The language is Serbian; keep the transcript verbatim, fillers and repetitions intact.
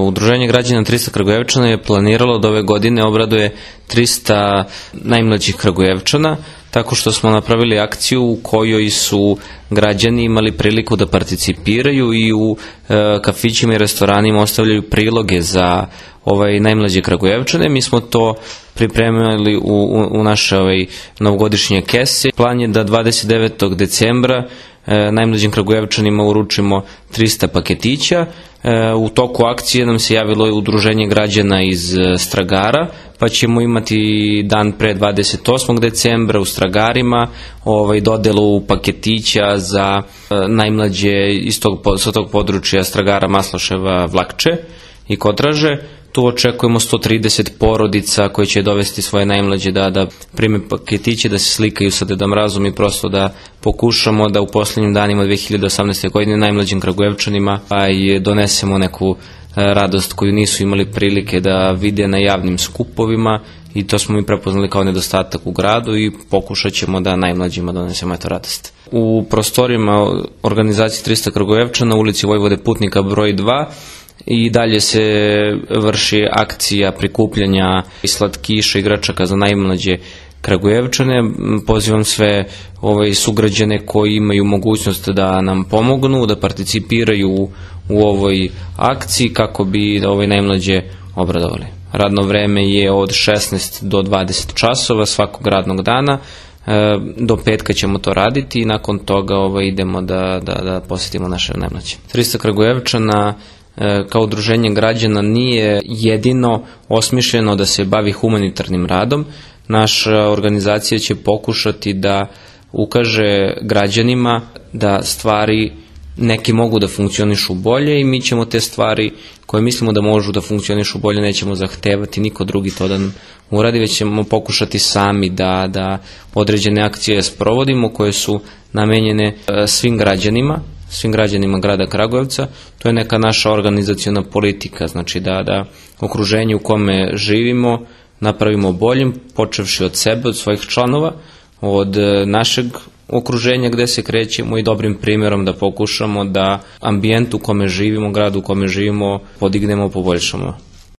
Udruženje građana trista Kragujevčana je planiralo da ove godine obraduje trista najmlađih Kragujevčana, tako što smo napravili akciju u kojoj su građani imali priliku da participiraju i u e, kafićima i restoranima ostavljaju priloge za ovaj najmlađe Kragujevčane. Mi smo to pripremili u, u, u naše ovaj, novogodišnje kese. Plan je da dvadeset devetog decembra e, najmlađim Kragujevčanima uručimo trista paketića. E, u toku akcije nam se javilo udruženje građana iz e, Stragara, pa ćemo imati dan pre dvadeset osmog decembra u Stragarima ovaj, dodelu paketića za e, najmlađe iz tog, sa tog područja Stragara, Masloševa, Vlakče i Kotraže. Tu očekujemo sto trideset porodica koje će dovesti svoje najmlađe da, da prime paketiće, da se slikaju sa Deda Mrazom i prosto da pokušamo da u posljednjim danima dve hiljade osamnaeste. godine najmlađim Kragujevčanima aj donesemo neku radost koju nisu imali prilike da vide na javnim skupovima, i to smo mi prepoznali kao nedostatak u gradu i pokušat ćemo da najmlađima donesemo eto radost. U prostorijama organizacije trista Kragujevčana u ulici Vojvode Putnika broj dva i dalje se vrši akcija prikupljanja slatkiša i igračaka za najmlađe Kragujevčane. Pozivam sve ove sugrađane koji imaju mogućnost da nam pomognu, da participiraju u, u ovoj akciji kako bi ove najmlađe obradovali. Radno vreme je od šesnaest do dvadeset časova svakog radnog dana. Do petka ćemo to raditi i nakon toga ovaj, idemo da, da, da posjetimo naše najmlađe. trista Kragujevčana kao udruženje građana nije jedino osmišljeno da se bavi humanitarnim radom. Naša organizacija će pokušati da ukaže građanima da stvari neki mogu da funkcionišu bolje i mi ćemo te stvari koje mislimo da možu da funkcionišu bolje nećemo zahtevati niko drugi to da uradi, već ćemo pokušati sami da, da određene akcije sprovodimo koje su namenjene svim građanima, svim građanima grada Kragujevca. To je neka naša organizaciona politika, znači da, da okruženje u kome živimo napravimo boljim, počevši od sebe, od svojih članova, od našeg okruženja gde se krećemo i dobrim primjerom da pokušamo da ambijent u kome živimo, grad u kome živimo podignemo, poboljšamo.